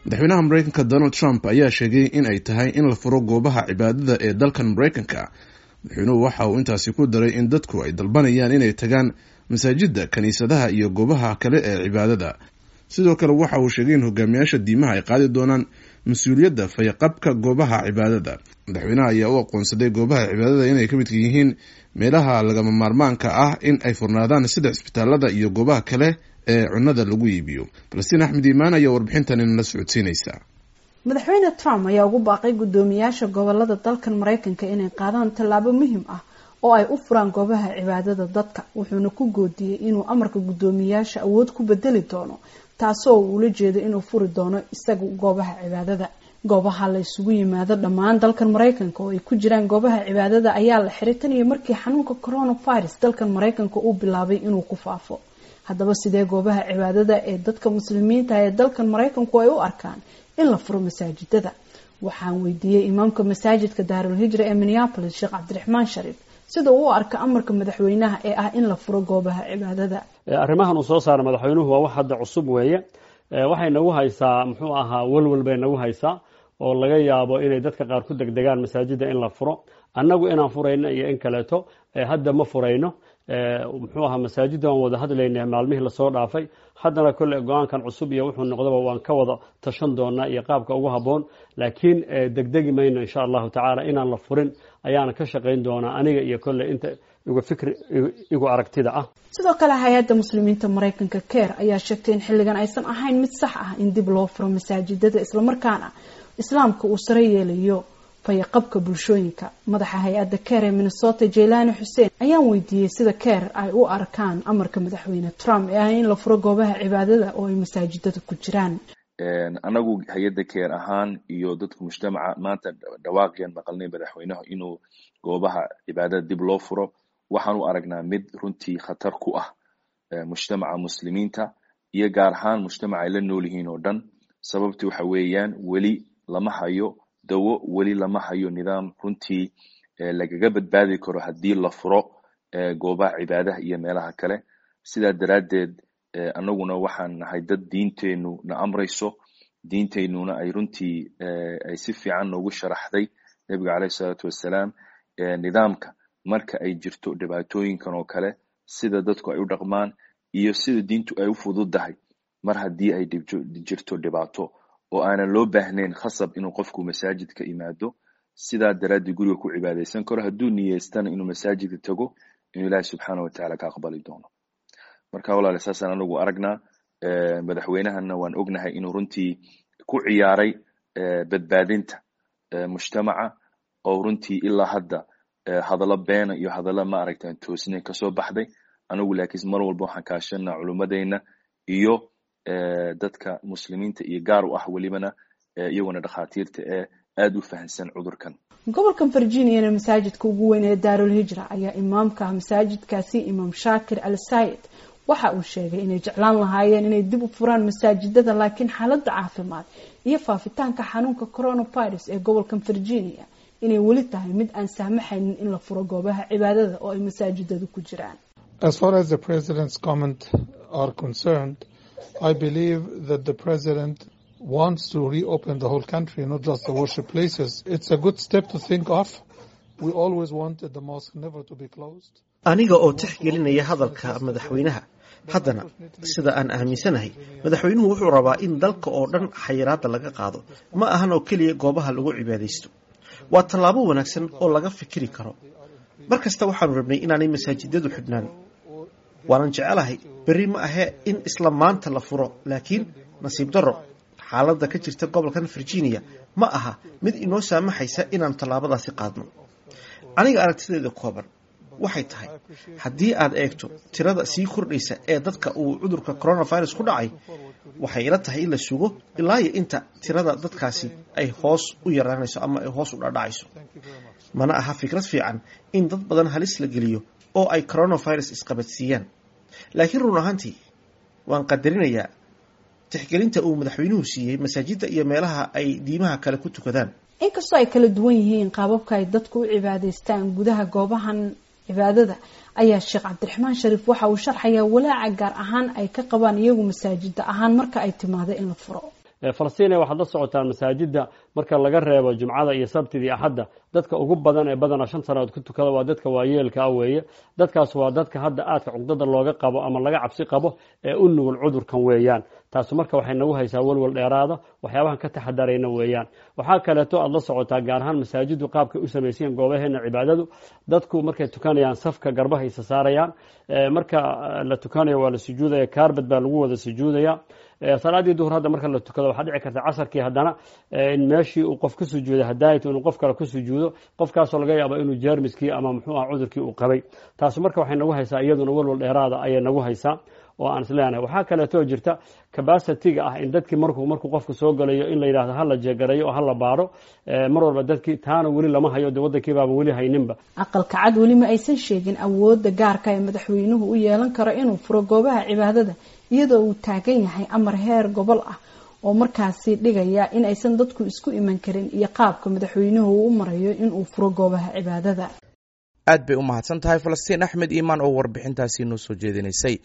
Madaxweynaha Mareykanka Donald Trump ayaa sheegay in ay tahay in la furo goobaha cibaadada ee dalkan Mareykanka. Madaxweynuhu waxa uu intaasi ku daray in dadku ay dalbanayaan inay tagaan masaajida, kiniisadaha iyo goobaha kale ee cibaadada. Sidoo kale waxa uu sheegay in hogaamiyaasha diimaha ay qaadi doonaan mas-uuliyadda fayaqabka goobaha cibaadada. Madaxweynaha ayaa u aqoonsaday goobaha cibaadada inay ka midka yihiin meelaha lagama maarmaanka ah in ay furnaadaan, sida cisbitaalada iyo goobaha kale ee cunada lagu iibiyo. Falastiin Axmed Iimaan ayaa warbixintan inala socodsiinaysa. Madaxweyne Trump ayaa ugu baaqay guddoomiyaasha gobolada dalkan Mareykanka inay qaadaan tallaabo muhiim ah oo ay u furaan goobaha cibaadada dadka, wuxuuna ku goodiyey inuu amarka guddoomiyaasha awood ku bedeli doono, taasoo uu ula jeedo inuu furi doono isagu goobaha cibaadada. Goobaha la isugu yimaado dhammaan dalkan Mareykanka oo ay ku jiraan goobaha cibaadada ayaa la xiray tan iyo markii xanuunka coronavirus dalkan Mareykanka uu bilaabay inuu ku faafo. Haddaba, sidee goobaha cibaadada ee dadka Muslimiinta ee dalkan Mareykanku ay u arkaan in la furo masaajidada? Waxaan weydiiyey imaamka masaajidka Daarul Hijra ee Minneapolis, Sheekh Cabdiraxmaan Shariif, sida uu u arka amarka madaxweynaha ee ah in la furo goobaha cibaadada. Arrimahan uu soo saaray madaxweynuhu waa wax hadda cusub weeye. Waxay nagu haysaa, muxuu ahaa, walwal bay nagu haysaa oo laga yaabo inay dadka qaar ku degdegaan masaajidda in la furo. Annagu inaan furayno iyo in kaleeto hadda ma furayno, muxuu ahaa, masaajidda waan wada hadlaynay maalmihii lasoo dhaafay. Haddana kolley go-aankan cusub iyo wuxuu noqdaba waan ka wada tashan doonaa iyo qaabka ugu habboon, laakiin degdegi mayno. Insha Allahu tacaala inaan la furin ayaana ka shaqayn doonaa aniga iyo kolley inta igu fikri igu aragtida ah. Sidoo kale, hay-adda Muslimiinta Mareykanka CAIR ayaa sheegtay in xilligan aysan ahayn mid sax ah in dib loo furo masaajidada, islamarkaana Islaamka uu sare yeelayo fayaqabka bulshooyinka. Madaxa hay-adda CAIR ee Minnesota, Jaylani Xuseen, ayaan weydiiyey sida CAIR ay u arkaan amarka madaxweyne Trump ee ah in la furo goobaha cibaadada oo ay masaajidada ku jiraan. Anagu hay-adda CAIR ahaan iyo dadka mujtamaca, maanta dhawaaqyan maqalnay madaxweynaha inuu goobaha cibaadada dib loo furo, waxaan u aragnaa mid runtii khatar ku ah mujtamaca Muslimiinta iyo gaar ahaan mujtamaca ay la nool yihiin oo dhan. Sababti waxa weeyaan, weli lama hayo dawo, weli lama hayo nidaam runtii lagaga badbaadi karo haddii la furo goobaha cibaadaha iyo meelaha kale. Sidaa daraaddeed, annaguna waxaan nahay dad diinteenu na amrayso, diinteynuna ay runtii ay si fiican noogu sharaxday Nebiga caleyhi salaatu wassalaam nidaamka marka ay jirto dhibaatooyinkan oo kale, sida dadku ay u dhaqmaan iyo sida diintu ay u fududahay mar haddii ay jirto dhibaato oo aanan loo baahnayn khasab inuu qofku masaajidka imaado. Sidaa daraaddii guriga ku cibaadaysan karo, hadduu niyeystana inuu masaajidka tago, inuu Ilaahi subxaana wa tacaala ka aqbali doono. Marka walaale, saasaan anagu aragnaa. Madaxweynahana waan ognahay inuu runtii ku ciyaaray badbaadinta mujtamaca, oo runtii ilaa hadda hadallo beena iyo hadallo ma aragtaan toosnayn kasoo baxday. Anagu laakiin mar walba waxaan kaashanaa culummadeyna iyo dadka Muslimiinta iyo gaar u ah welibana iyaguna dhakhaatiirta ee aada u fahansan cudurkan. Gobolkan Virginiana, masaajidka ugu weyn ee Daarul Hijra ayaa imaamka masaajidkaasi, Imaam Shaakir Al Sayid, waxa uu sheegay inay jeclaan lahaayeen inay dib u furaan masaajidada, laakiin xaaladda caafimaad iyo faafitaanka xanuunka coronavirus ee gobolkan Virginia inay weli tahay mid aan saamaxaynin in la furo goobaha cibaadada oo ay masaajidadu ku jiraan. As far as the president's comment are concerned, I believe that the president wants to reopen the whole country, not just the worship places. It's a good step to think of. We always wanted the mosque never to be closed. Aniga oo tixgelinaya hadalka madaxweynaha, haddana sida aan aaminsanahay, madaxweynuhu wuxuu rabaa in dalka oo dhan xayiraadda laga qaado, ma ahan oo keliya goobaha lagu cibaadaysto. Waa tallaabo wanaagsan oo laga fikiri karo. Mar kasta waxaanu rabnay inaanay masaajidadu xidhnaan, waanan jecelahay berri ma ahee in isla maanta la furo, laakiin nasiib darro xaaladda ka jirta gobolkan Virginia ma aha mid inoo saamaxaysa inaan tallaabadaasi qaadno. Aniga aragtideeda kooban waxay tahay, haddii aad eegto tirada sii kordhaysa ee dadka uu cudurka coronavirus ku dhacay, waxay ila tahay in la sugo ilaa iyo inta tirada dadkaasi ay hoos u yaraanayso ama ay hoos u dhadhacayso. Mana aha fikrad fiican in dad badan halis la geliyo oo ay coronavirus isqabadsiiyaan, laakiin run ahaantii waan qadarinayaa tixgelinta uu madaxweynuhu siiyey masaajidda iyo meelaha ay diimaha kale ku tukadaan. Inkastoo ay kala duwan yihiin qaababka ay dadku u cibaadaystaan gudaha goobahan cibaadada, ayaa Sheekh Cabdiraxmaan Shariif waxa uu sharxayaa walaaca gaar ahaan ay ka qabaan iyagu masaajida ahaan marka ay timaado in la furo. Falastiina waxaad la socotaan masaajidda marka laga reebo jumcada iyo sabtida iyo axadda, dadka ugu badan ee badana 5 sanadood ku tukada waa dadka waayeelka ah weeye. Dadkaas waa dadka hadda aadka cugdada looga qabo ama laga cabsi qabo ee u nugul cudurkan weeyaan. Taas marka waxay nagu haysaa walwal dheeraada, waxyaabahan ka taxadarayna weeyaan. Waxaa kaleeto aad la socotaa gaar ahaan masaajiddu qaabkay u samaysayen goobaheena cibaadadu, dadku markay tukanayaan safka garbaha isa saarayaan, marka la tukanayo waa la sujuudaya, kaarbad baa lagu wada sujuudaya. Salaadii duhur hadda marka la tukado waxaa dhici karta casarkii haddana in meeshii uu qof ku sujuuday hadaayat inuu qof kale ku sujuudo, qofkaasoo laga yaabo inuu jeermiskii ama muxuu ah cudurkii uu qabay. Taas marka waxay nagu haysaa iyaduna walwal dheeraada ayay nagu haysaa oo aan isleenahay. Waxaa kaleetoo jirta cabacity-ga ah in dadkii markuu qofku soo galayo in la yidhahdo hala jeegarayo oo hala baaro mar walba dadkii, taana weli lama hayo, dee waddankii baaba weli hayninba. Aqalka Cad weli ma aysan sheegin awoodda gaarka ee madaxweynuhu u yeelan karo inuu furo goobaha cibaadada, iyadoo uu taagan yahay amar heer gobol ah oo markaasi dhigaya in aysan dadku isku iman karin iyo qaabka madaxweynuhu uu u marayo inuu furo goobaha cibaadada. Aad bay u mahadsan tahay Falastiin Axmed Iimaan oo warbixintaasi noo soo jeedinaysay.